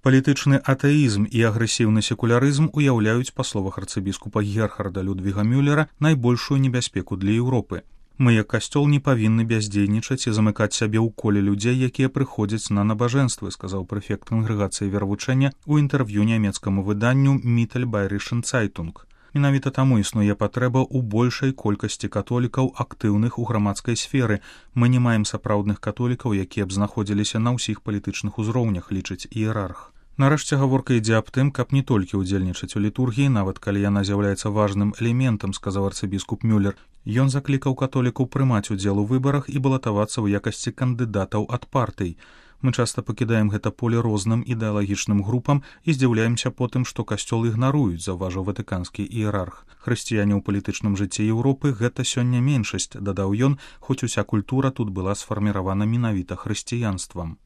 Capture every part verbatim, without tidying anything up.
Палітычны атэізм і агрэсіўны секулярызм уяўляюць, па словах арцыбіскупа Герхарда Людвіга Мюллера, найбольшую небяспеку для Еўропы. Мы, як касцёл, не павінны бяздзейнічаць і замыкаць сябе ў коле людзей, якія прыходзяць на набажэнствы, сказаў прэфект кангрэгацыі вервучэння ў інтэрв'ю нямецкаму выданню Mittelbayerischen Zeitung. Менавіта таму існуе патрэба ў большай колькасці католікаў, актыўных у грамадскай сферы. Мы не маем сапраўдных католікаў, якія б знаходзіліся на ўсіх палітычных узроўнях, лічыць іерарх. Нарэшце гаворка ідзе аб тым, каб не толькі ўдзельнічаць у літургіі, нават калі яна з'яўляецца важным элементам, сказаў арцыбіскуп Мюллер. Ён заклікаў католікаў прымаць удзел у выбарах і балатавацца ў якасці кандыдатаў ад партый. Мы часта пакідаем гэта поле розным ідэалагічным групам і здзіўляемся потым, што касцёл ігнаруюць, заўважыў ватыканскі іерарх. Хрысціяне ў палітычным жыцці Еўропы гэта сёння меншасць, дадаў ён, хоць уся культура тут была сфарміравана менавіта хрысціянствам.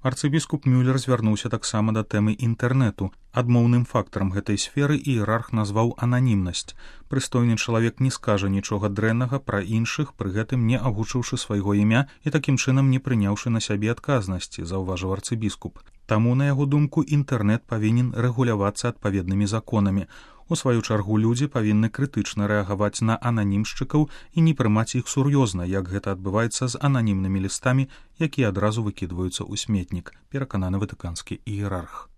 Арцыбіскуп Мюллер звярнуўся таксама да тэмы інтэрнэту. Адмоўным фактарам гэтай сферы іерарх назваў ананімнасць. Прыстойны чалавек не скажа нічога дрэннага пра іншых, пры гэтым не агучыўшы свайго імя і такім чынам не прыняўшы на сябе адказнасці, заўважыў арцыбіскуп. Таму, на яго думку, інтэрнэт павінен рэгулявацца адпаведнымі законамі. У сваю чаргу людзі павінны крытычна рэагаваць на ананімшчыкаў і не прымаць іх сур'ёзна, як гэта адбываецца з ананімнымі лістамі, якія адразу выкідваюцца ў сметнік, перакананы ватыканскі іерарх.